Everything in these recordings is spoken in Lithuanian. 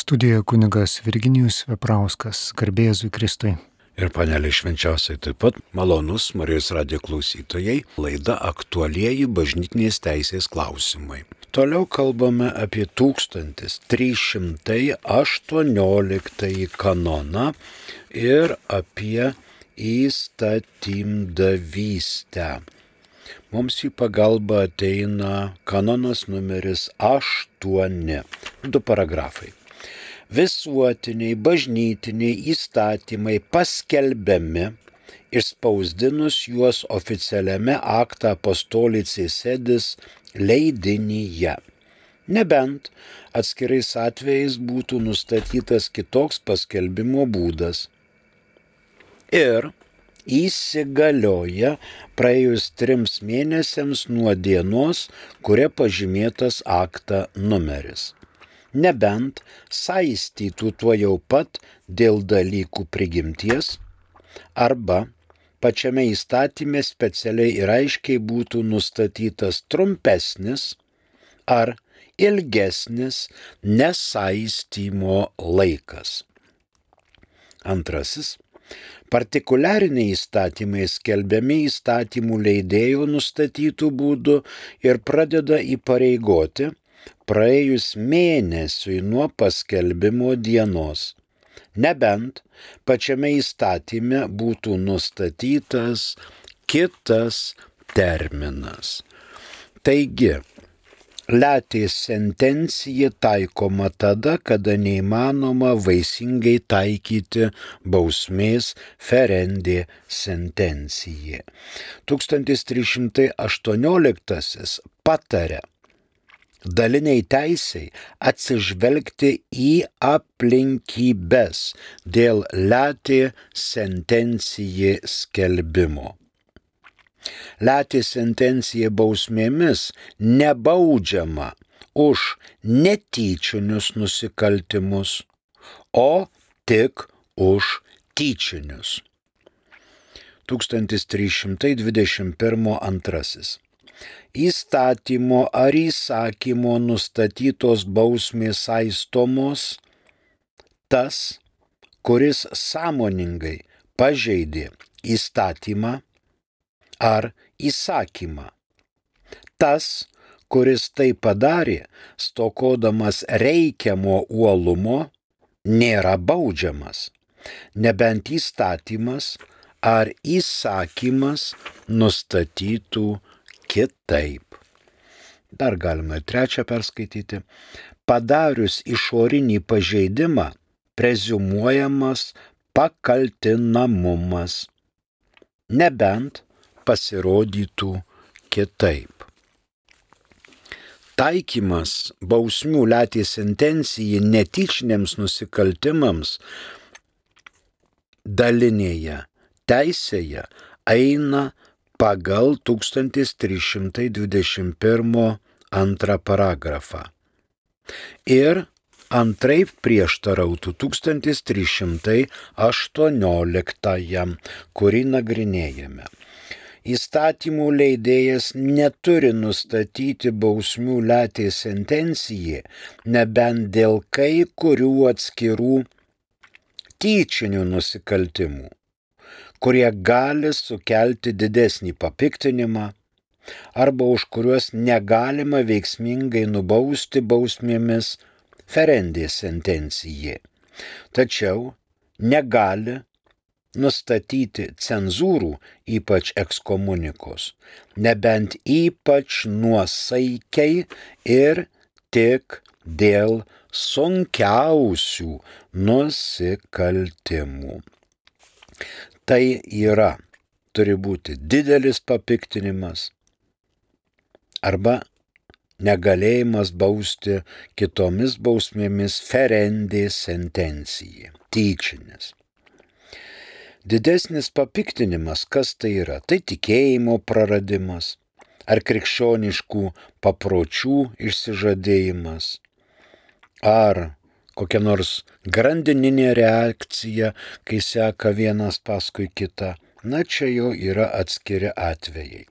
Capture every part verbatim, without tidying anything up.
Studijoje kunigas Virginijus Veprauskas, garbė Jėzui Kristui. Ir panelė švenčiausiai taip pat malonus Marijos radijo klausytojai, laida aktualieji bažnytinės teisės klausimai. Toliau kalbame apie tūkstantis trys šimtai aštuonioliktąjį kanoną ir apie įstatymdavystę. Mums į pagalbą ateina kanonas numeris aštuoni, du paragrafai. Visuotiniai bažnytiniai įstatymai paskelbiami, išspausdinus juos oficialiame Acta Apostolicae Sedis leidinyje. Nebent atskirais atvejais būtų nustatytas kitoks paskelbimo būdas. Ir įsigalioja praėjus trims mėnesiams nuo dienos, kuria pažymėtas akta numeris. Nebent saistytų tuo jau pat dėl dalykų prigimties, arba pačiame įstatyme specialiai ir aiškiai būtų nustatytas trumpesnis ar ilgesnis nesaistymo laikas. Antrasis. Partikuliariniai įstatymai skelbiami įstatymų leidėjo nustatytų būdų ir pradeda įpareigoti praėjus mėnesiui nuo paskelbimo dienos, nebent pačiame įstatyme būtų nustatytas kitas terminas. Taigi, letė sentencija taikoma tada, kada neįmanoma vaisingai taikyti bausmės ferendė sentencijai. tūkstantis trys šimtai aštuonioliktasis pataria daliniai teisei atsižvelgti į aplinkybes dėl letė sentencijai skelbimo. Letė sentencija bausmėmis nebaudžiama už netyčinius nusikaltimus, o tik už tyčinius. tūkstantis trys šimtai dvidešimt pirmas antrasis. Įstatymo ar įsakymo nustatytos bausmės saistomos tas, kuris sąmoningai pažeidė įstatymą ar įsakymą. Tas, kuris tai padarė, stokodamas reikiamo uolumo, nėra baudžiamas, nebent įstatymas ar įsakymas nustatytų kitaip. Dar galima trečią perskaityti. Padarius išorinį pažeidimą, preziumuojamas pakaltinamumas, nebent pasirodytų kitaip. Taikymas bausmių letė sentencijai netyčiniams nusikaltimams dalinėje teisėje eina pagal tūkstantis trys šimtai dvidešimt pirmas antrą paragrafą. Ir antraip prieštarautų tūkstantis trys šimtai aštuonioliktajam, kurį nagrinėjame. Įstatymų leidėjas neturi nustatyti bausmių letė sentencijai, nebent dėl kai kurių atskirų tyčinių nusikaltimų, kurie gali sukelti didesnį papiktinimą, arba už kuriuos negalima veiksmingai nubausti bausmėmis ferendė sentencijai. Tačiau negali nustatyti cenzūrų, ypač ekskomunikos, nebent ypač nuosaikiai ir tik dėl sunkiausių nusikaltimų. Tai yra, turi būti didelis papiktinimas arba negalėjimas bausti kitomis bausmėmis ferendė sentencijai, tyčinis. Didesnis papiktinimas, kas tai yra? Tai tikėjimo praradimas ar krikščioniškų papročių išsižadėjimas, ar kokia nors grandininė reakcija, kai seka vienas paskui kitą. Na, čia jau yra atskiri atvejai.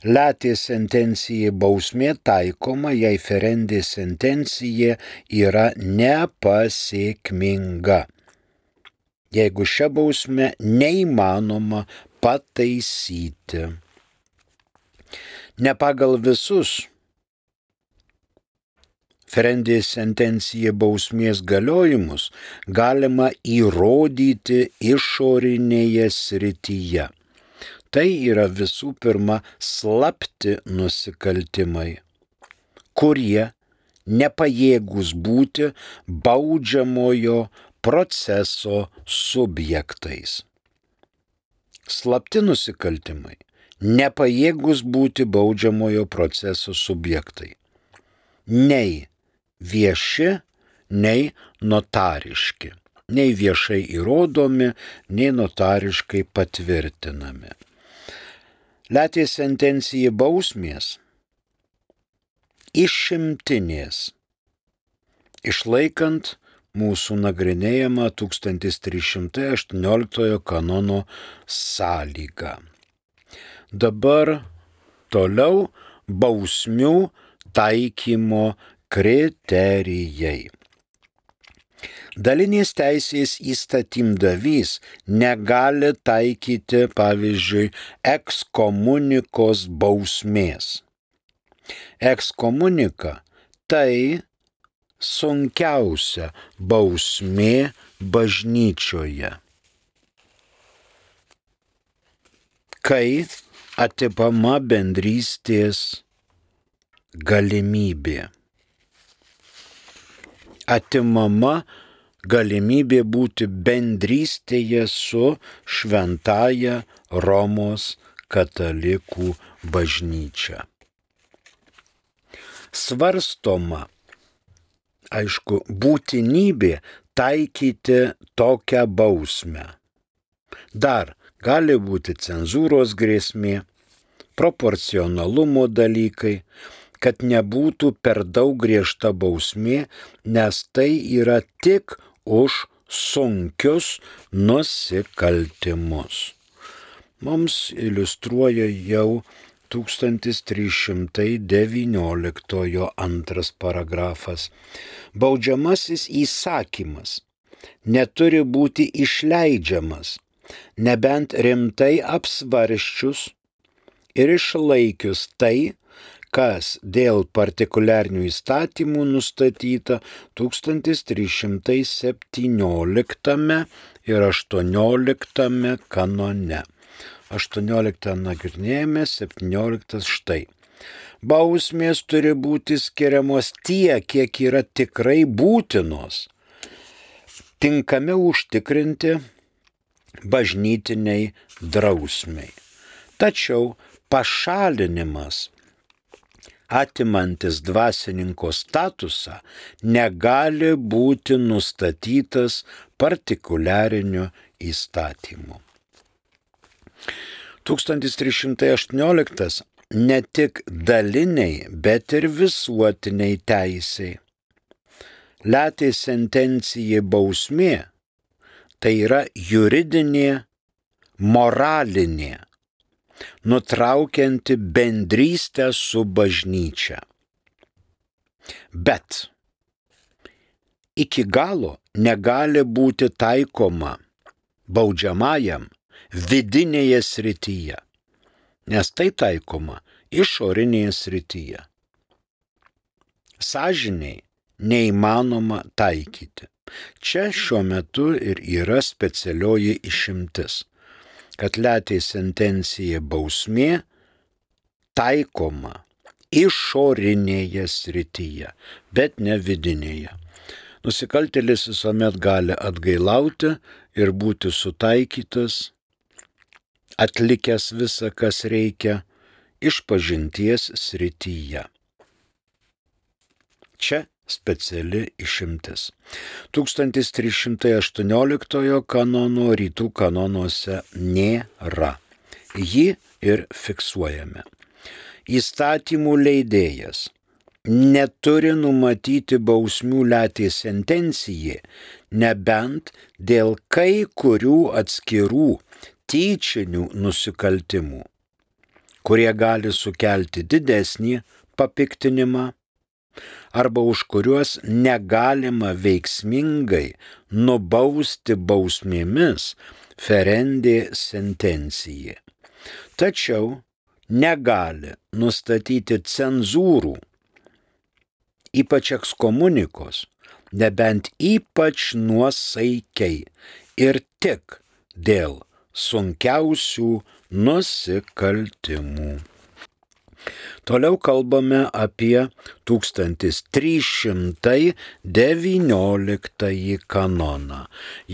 Letė sentencija bausmė taikoma, jei ferendė sentencija yra nepasiekminga. Jeigu šią bausmę neįmanoma pataisyti. Ne pagal visus ferendė sentencija bausmės galiojimus galima įrodyti išorinėje srityje. Tai yra visų pirma slapti nusikaltimai, kurie nepajėgūs būti baudžiamojo proceso subjektais. Slapti nusikaltimai nepajėgūs būti baudžiamojo proceso subjektai. Nei vieši, nei notariški. Nei viešai įrodomi, nei notariškai patvirtinami. Letė sentencija bausmės išimtinės, išlaikant mūsų nagrinėjamą tūkstantis trys šimtai aštuonioliktojo kanono sąlygą. Dabar toliau bausmių taikymo kriterijai. Dalinės teisės įstatymdavys negali taikyti, pavyzdžiui, ekskomunikos bausmės. Ekskomunika tai sunkiausia bausmė bažnyčioje, kai atimama bendrystės galimybė. Atimama galimybė būti bendrystėje su šventąja Romos katalikų bažnyčia. Svarstoma, aišku, būtinybė taikyti tokią bausmę. Dar gali būti cenzūros grėsmė, proporcionalumo dalykai, kad nebūtų per daug griežta bausmė, nes tai yra tik už sunkius nusikaltimus. Mums iliustruoja jau tūkstantis trys šimtai devynioliktojo antras paragrafas. Baudžiamasis įsakymas neturi būti išleidžiamas, nebent rimtai apsvarsčius ir išlaikius tai, kas dėl partikuliarinių įstatymų nustatyta tūkstantis trys šimtai septynioliktame ir aštuonioliktame kanone. aštuonioliktą nagrinėjame, septynioliktas štai. Bausmės turi būti skiriamos tiek, kiek yra tikrai būtinos, tinkami užtikrinti bažnytiniai drausmiai. Tačiau pašalinimas, atimantis dvasininko statusą, negali būti nustatytas partikuliariniu įstatymu. tūkstantis trys šimtai aštuonioliktas ne tik daliniai, bet ir visuotiniai teisei. Letė sentencija bausmė tai yra juridinė, moralinė, nutraukianti bendrystę su bažnyčia. Bet iki galo negali būti taikoma baudžiamajam vidinėje srityje, nes tai taikoma išorinėje srityje. Sąžiniai neįmanoma taikyti. Čia šiuo metu ir yra specialioji išimtis, kad letė sentencija bausmė taikoma išorinėje srityje, bet ne vidinėje. Nusikaltėlis visuomet gali atgailauti ir būti sutaikytas, atlikęs visą, kas reikia, išpažinties srityje. Čia speciali išimtis. tūkstantis trys šimtai aštuonioliktojo kanono rytų kanonuose nėra. Jį ir fiksuojame. Įstatymų leidėjas neturi numatyti bausmių letė sentencijai, nebent dėl kai kurių atskirų tyčinių nusikaltimų, kurie gali sukelti didesnį papiktinimą arba už kuriuos negalima veiksmingai nubausti bausmėmis ferendė sentencija. Tačiau negali nustatyti cenzūrų, ypač ekskomunikos, nebent ypač nuosaikiai ir tik dėl sunkiausių nusikaltimų. Toliau kalbame apie tūkstantis trys šimtai devynioliktąjį kanoną.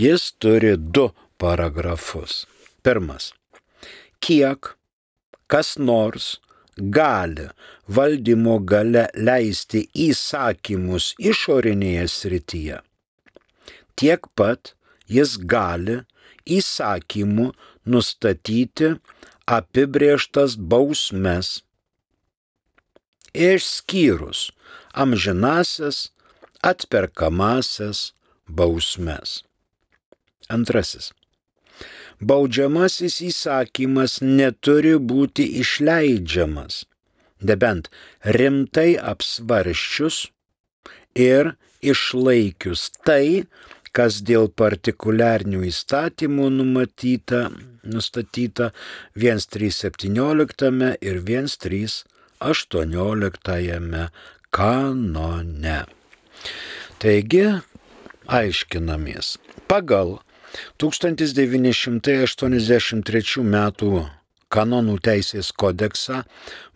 Jis turi du paragrafus. Pirmas. Kiek kas nors gali valdymo gale leisti įsakymus išorinėje srityje, tiek pat jis gali įsakymu nustatyti apibrėžtas bausmes, išskyrus amžinasias atperkamasias bausmes. Antrasis. Baudžiamasis įsakymas neturi būti išleidžiamas, nebent rimtai apsvarsčius ir išlaikius tai, kas dėl partikuliarinių įstatymų numatyta, nustatyta vienas trys septynioliktame ir vienas trys aštuonioliktajame kanone. Taigi, aiškinamės, pagal tūkstantis devyni šimtai aštuoniasdešimt trečių metų kanonų teisės kodeksą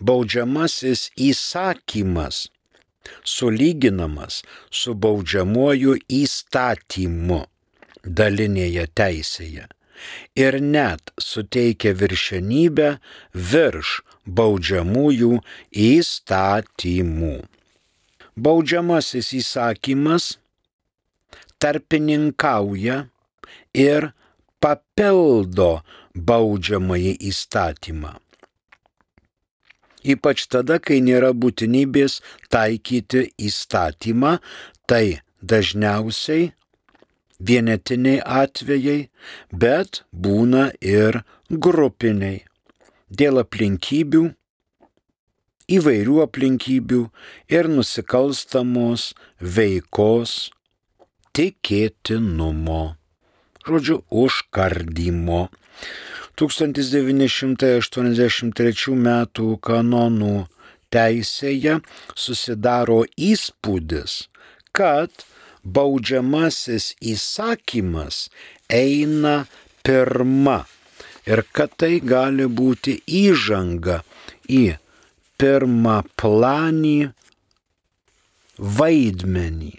baudžiamasis įsakymas sulyginamas su baudžiamuoju įstatymu dalinėje teisėje ir net suteikia viršenybę virš baudžiamųjų įstatymų. Baudžiamasis įsakymas tarpininkauja ir papildo baudžiamąjį įstatymą. Ypač tada, kai nėra būtinybės taikyti įstatymą, tai dažniausiai vienetiniai atvejai, bet būna ir grupiniai. Dėl aplinkybių, įvairių aplinkybių ir nusikalstamos veikos tikėtinumo. Žodžiu, užkardymo. tūkstantis devyni šimtai aštuoniasdešimt trečių metų kanonų teisėje susidaro įspūdis, kad baudžiamasis įsakymas eina pirma ir kad tai gali būti įžanga į pirmaplanį vaidmenį,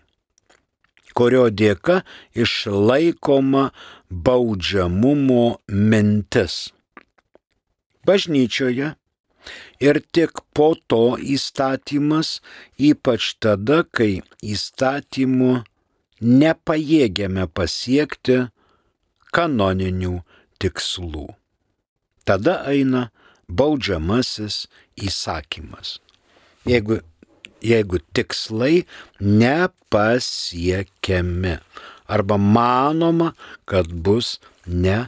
kurio dėka išlaikoma baudžiamumo mintis. Bažnyčioje ir tik po to įstatymas, ypač tada, kai įstatymų nepajėgiame pasiekti kanoninių tikslų. Tada eina baudžiamasis įsakymas. Jeigu jeigu tikslai nepasiekiami arba manoma, kad bus nepasiekti.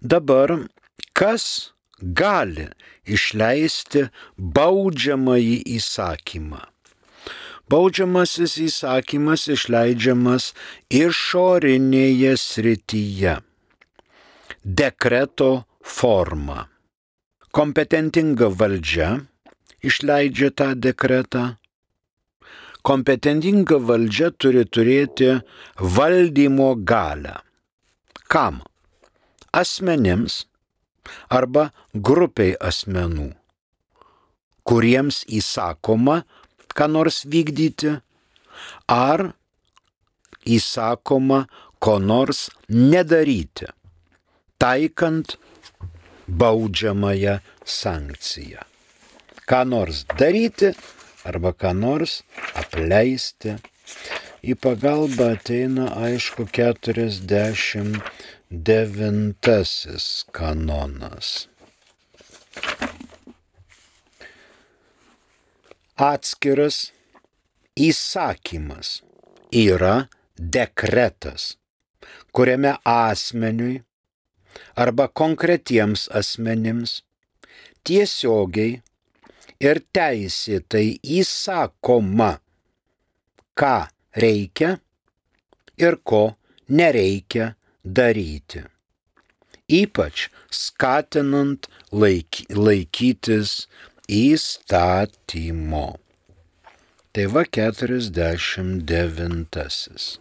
Dabar kas gali išleisti baudžiamąjį įsakymą? Baudžiamasis įsakymas išleidžiamas išorinėje srityje, dekreto forma. Kompetentinga valdžia išleidžia tą dekretą. Kompetentinga valdžia turi turėti valdymo galią. Kam? Asmenims arba grupiai asmenų, kuriems įsakoma ką nors vykdyti, ar įsakoma ko nors nedaryti, taikant baudžiamąją sankciją. Ką nors daryti arba ką nors apleisti. Į pagalbą ateina, aišku, keturiasdešimt devintasis kanonas. Atskiras įsakymas yra dekretas, kuriame asmeniui arba konkretiems asmenims tiesiogiai ir teisėtai įsakoma, ką reikia ir ko nereikia daryti, ypač skatinant laik, laikytis įstatymo. Tai va keturiasdešimt devintasis.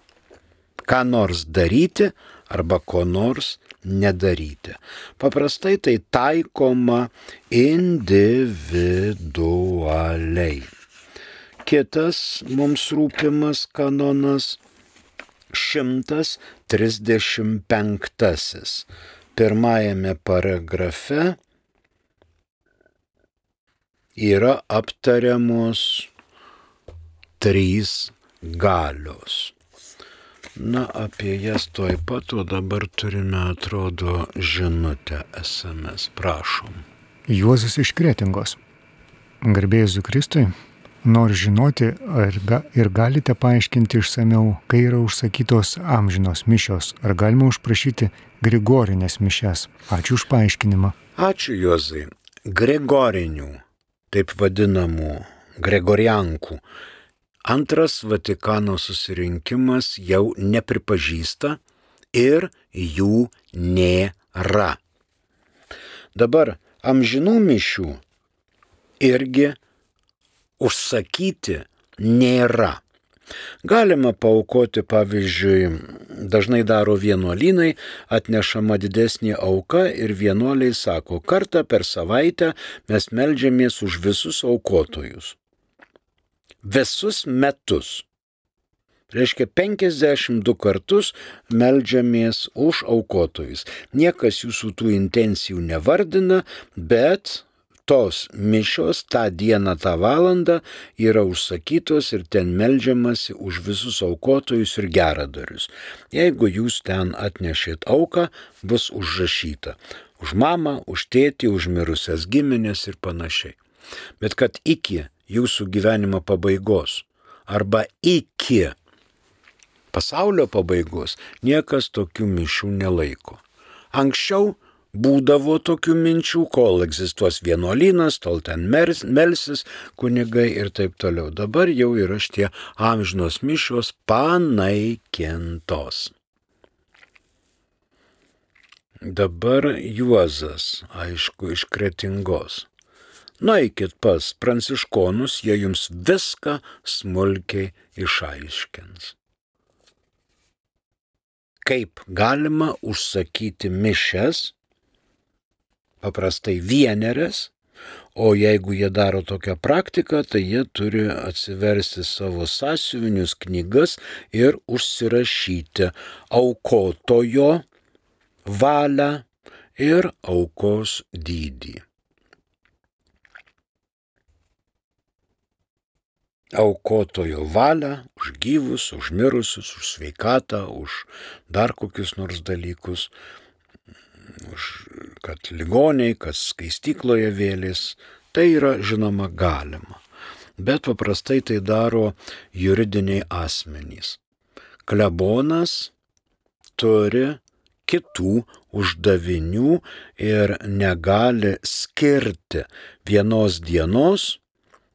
Ką nors daryti arba ko nors nedaryti. Paprastai tai taikoma individualiai. Kitas mums rūpimas kanonas šimtas trisdešimt penktasis. Pirmajame paragrafe yra aptariamos trys galios. Na, apie jas tuoj pat, o dabar turime, atrodo, žinutę es em es. Prašom. Juozas iš Kretingos. Garbė Jėzui Kristui, noriu žinoti ar ga, ir galite paaiškinti išsamiau, kai yra užsakytos amžinos mišios, ar galima užprašyti Grigorinės mišias. Ačiū už paaiškinimą. Ačiū, Juozai. Grigorinių, taip vadinamų Gregoriankų, Antras Vatikano susirinkimas jau nepripažįsta ir jų nėra. Dabar amžinų mišių irgi užsakyti nėra. Galima paaukoti, pavyzdžiui, dažnai daro vienuolynai, atnešama didesnė auka ir vienuoliai sako, kartą per savaitę mes meldžiamės už visus aukotojus. Visus metus. Reiškia, penkiasdešimt du kartus meldžiamės už aukotojus. Niekas jūsų tų intencijų nevardina, bet tos mišios tą dieną, tą valandą yra užsakytos ir ten meldžiamasi už visus aukotojus ir geradarius. Jeigu jūs ten atnešėt auką, bus užrašyta už mamą, už tėtį, už mirusias giminės ir panašiai. Bet kad iki jūsų gyvenimo pabaigos arba iki pasaulio pabaigos niekas tokių mišių nelaiko. Anksčiau būdavo tokių minčių, kol egzistuos vienuolynas, tol ten melsis kunigai ir taip toliau. Dabar jau yra šitie amžinos mišios panaikintos. Dabar Juozas, aišku, iš Kretingos. Nueikit pas pranciškonus, jie jums viską smulkiai išaiškins. Kaip galima užsakyti mišias, paprastai vienerias, o jeigu jie daro tokią praktiką, tai jie turi atsiversti savo sąsiuvinius knygas ir užsirašyti aukotojo valią ir aukos dydį. Aukotojo valią už gyvus, už mirusius, už sveikatą, už dar kokius nors dalykus, už kad ligoniai, kas skaistykloje vėlės, tai yra žinoma galima. Bet paprastai tai daro juridiniai asmenys. Klebonas turi kitų uždavinių ir negali skirti vienos dienos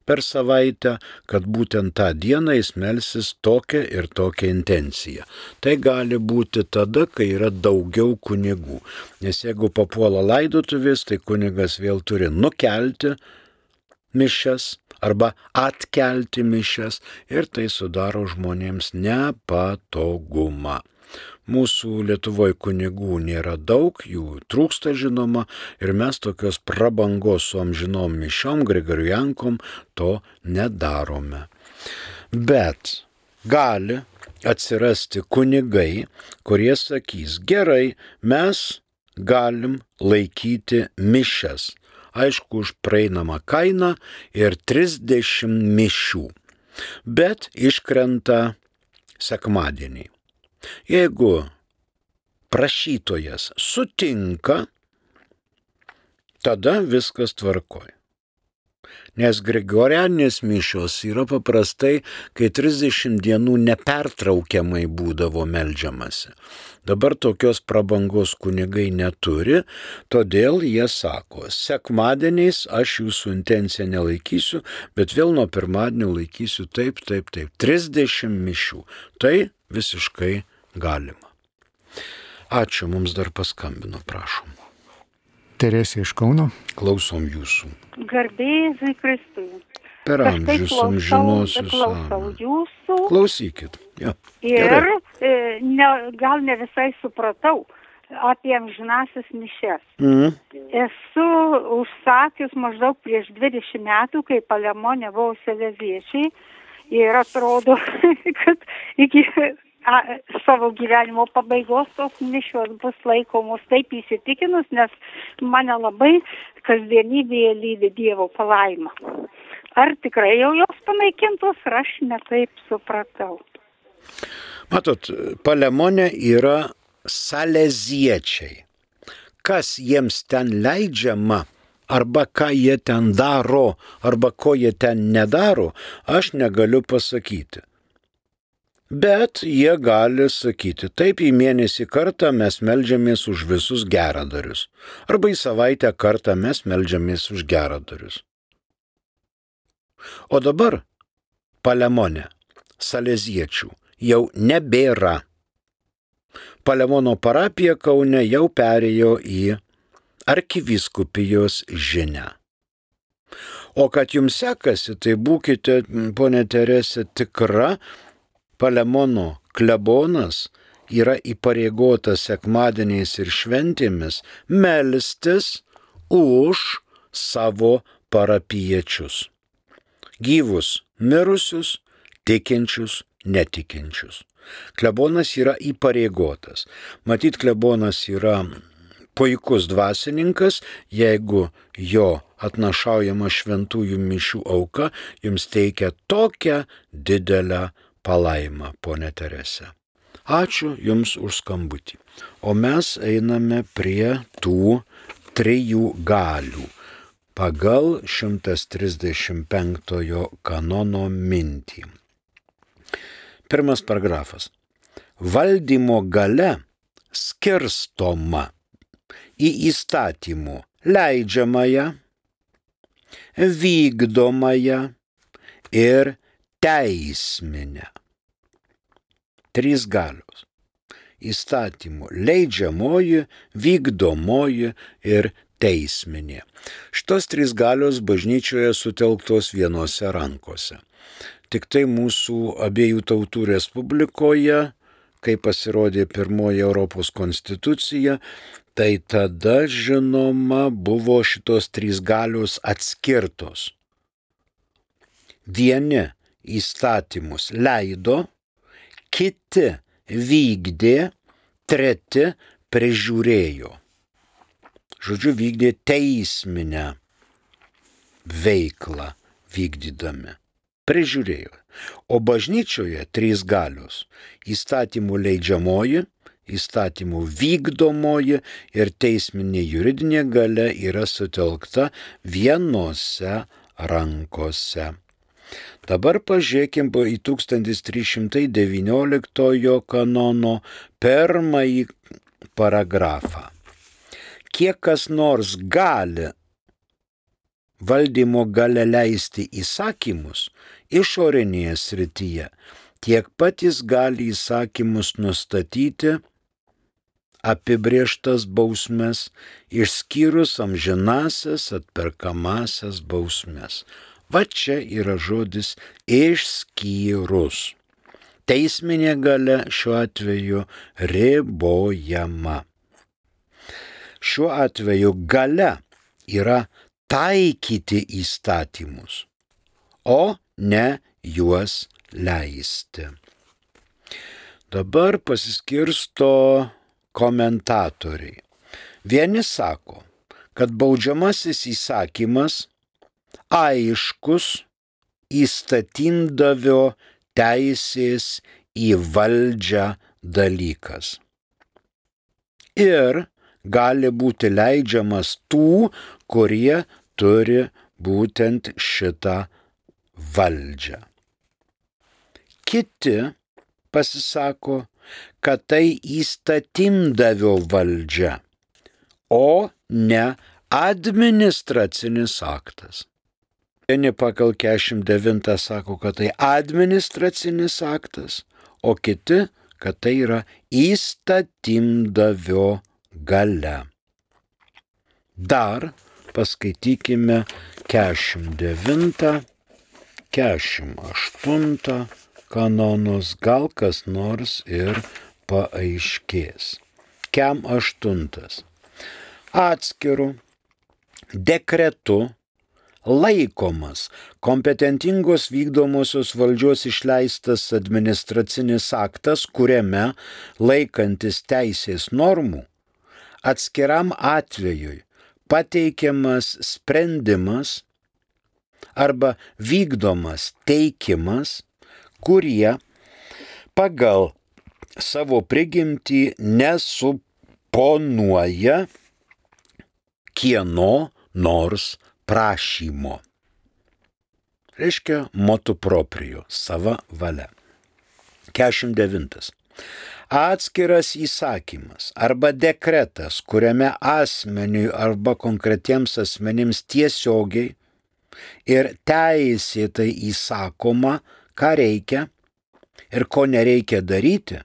per savaitę, kad būtent tą dieną jis melsis tokią ir tokią intenciją. Tai gali būti tada, kai yra daugiau kunigų. Nes jeigu papuola laidotuvės, tai kunigas vėl turi nukelti mišias arba atkelti mišias ir tai sudaro žmonėms nepatogumą. Mūsų Lietuvoje kunigų nėra daug, jų trūksta žinoma ir mes tokios prabangos su amžinom mišiom, Gregoriankom to nedarome. Bet gali atsirasti kunigai, kurie sakys, gerai, mes galim laikyti mišias, aišku, už praeinamą kainą ir trisdešimt mišių, bet iškrenta sekmadieniai. Jeigu prašytojas sutinka, tada viskas tvarkoj. Nes gregorianinės mišios yra paprastai, kai trisdešimt dienų nepertraukiamai būdavo meldžiamasi. Dabar tokios prabangos kunigai neturi, todėl jie sako, sekmadieniais aš jūsų intenciją nelaikysiu, bet vėl nuo pirmadienio laikysiu taip, taip, taip, trisdešimt mišių. Tai visiškai galima. Ačiū, mums dar paskambino, prašom. Teresė iš Kauno. Klausom jūsų. Garbėzui Kristui. Per amžius amžinosius. Klausau jūsų. Klausykit. Ja. Ir e, ne, gal ne visai supratau apie amžinasias mišias. Mm. Esu užsakius maždaug prieš dvidešimt metų, kai Palemone buvo saleziečiai. Ir atrodo, kad iki a, savo gyvenimo pabaigos tos mišios bus laikomos, taip įsitikinus, nes mane labai kasdienybėje lydi Dievo palaima. Ar tikrai jau jos panaikintos, ar aš netaip supratau? Matot, Palemone yra saleziečiai. Kas jiems ten leidžiama, arba ką jie ten daro, arba ko jie ten nedaro, aš negaliu pasakyti. Bet jie gali sakyti, taip į mėnesį kartą mes meldžiamės už visus geradarius, arba į savaitę kartą mes meldžiamės už geradarius. O dabar Palemone saleziečių jau nebėra. Palemono parapija Kaune jau perėjo į arkivyskupijos žinią. O kad jums sekasi, tai būkite, ponė Teresė, tikra, Palemono klebonas yra įpareigotas sekmadieniais ir šventėmis melstis už savo parapiečius. Gyvus, mirusius, tikinčius, netikinčius. Klebonas yra įpareigotas. Matyt, klebonas yra puikus dvasininkas, jeigu jo atnašaujama šventųjų mišių auka jums teikia tokią didelę palaimą, ponė Teresė. Ačiū jums už skambutį. O mes einame prie tų trijų galių pagal šimtas trisdešimt penktojo kanono mintį. Pirmas paragrafas. Valdymo galia skirstoma į įstatymų leidžiamąją, vykdomąją ir teisminę. Trys galios. Įstatymų leidžiamoji, vykdomoji ir teisminė. Šitos trys galios bažnyčioje sutelktos vienose rankose. Tik tai mūsų abiejų tautų Respublikoje, kai pasirodė pirmoji Europos konstitucija, tai tada, žinoma, buvo šitos trys galios atskirtos. Vieni įstatymus leido, kiti vykdė, treti prižiūrėjo. Žodžiu, vykdė teisminę veiklą vykdydami. Prižiūrėjo. O bažnyčioje trys galios – įstatymų leidžiamoji, įstatymų vykdomoji ir teisminė juridinė galia yra sutelkta vienose rankose. Dabar pažiūrėkim į tūkstantis trys šimtai devynioliktojo kanono pirmąjį paragrafą. Kiek kas nors gali valdymo galia leisti įsakymus išorinėje srityje, tiek pat jis gali įsakymus nustatyti apibrėžtas bausmes, išskyrus amžinasias atperkamasias bausmes. Va čia yra žodis išskyrus. Teisminė galia šiuo atveju ribojama. Šiuo atveju galia yra taikyti įstatymus, o ne juos leisti. Dabar pasiskirsto komentatoriai. Vieni sako, kad baudžiamasis įsakymas aiškus įstatymdavio teisės į valdžią dalykas. Ir gali būti leidžiamas tų, kurie turi būtent šitą valdžią. Kiti pasisako, kad tai įstatymdavio valdžia, o ne administracinis aktas. Vieni pagal keturiasdešimt devintą sako, kad tai administracinis aktas, o kiti, kad tai yra įstatymdavio galia. Dar paskaitykime keturiasdešimt devintą, keturiasdešimt aštuntą kanonus, gal kas nors ir paaiškės. Kem aštuntas. Atskiru dekretu laikomas kompetentingos vykdomosios valdžios išleistas administracinis aktas, kuriame laikantis teisės normų atskiram atvejui pateikiamas sprendimas arba vykdomas teikimas, kurie pagal savo prigimtį nesuponuoja kieno nors prašymo. Reiškia motu proprio, sava valia. keturiasdešimt devintas. Atskiras įsakymas arba dekretas, kuriame asmeniui arba konkretiems asmenims tiesiogiai ir teisėtai įsakoma, ką reikia ir ko nereikia daryti,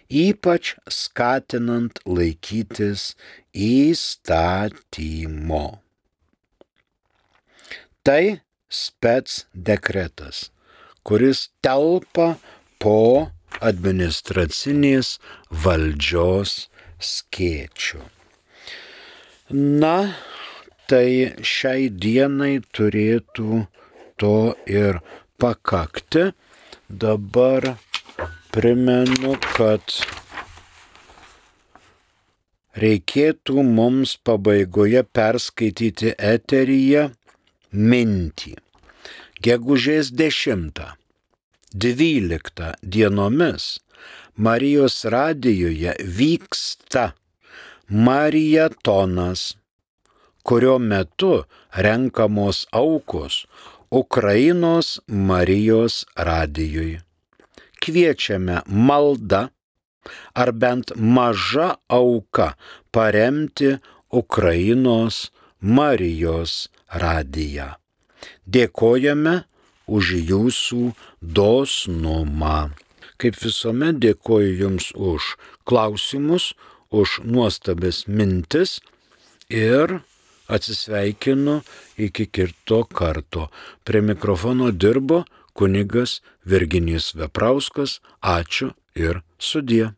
ypač skatinant laikytis įstatymo. Tai spec dekretas, kuris telpa po administracinės valdžios skėčių. Na, tai šiai dienai turėtų to ir pakakti. Dabar primenu, kad reikėtų mums pabaigoje perskaityti eteryje mintį. Gegužės dešimtą, dvyliktą dienomis Marijos radijuje vyksta marietonas, kurio metu renkamos aukos Ukrainos Marijos radijui. Kviečiame malda ar bent maža auka paremti Ukrainos Marijos radiją. Dėkojame už jūsų dosnumą. Kaip visuomet dėkoju Jums už klausimus, už nuostabes mintis ir atsisveikinu iki kito karto. Prie mikrofono dirbo kunigas Virginijus Veprauskas. Ačiū ir sudie.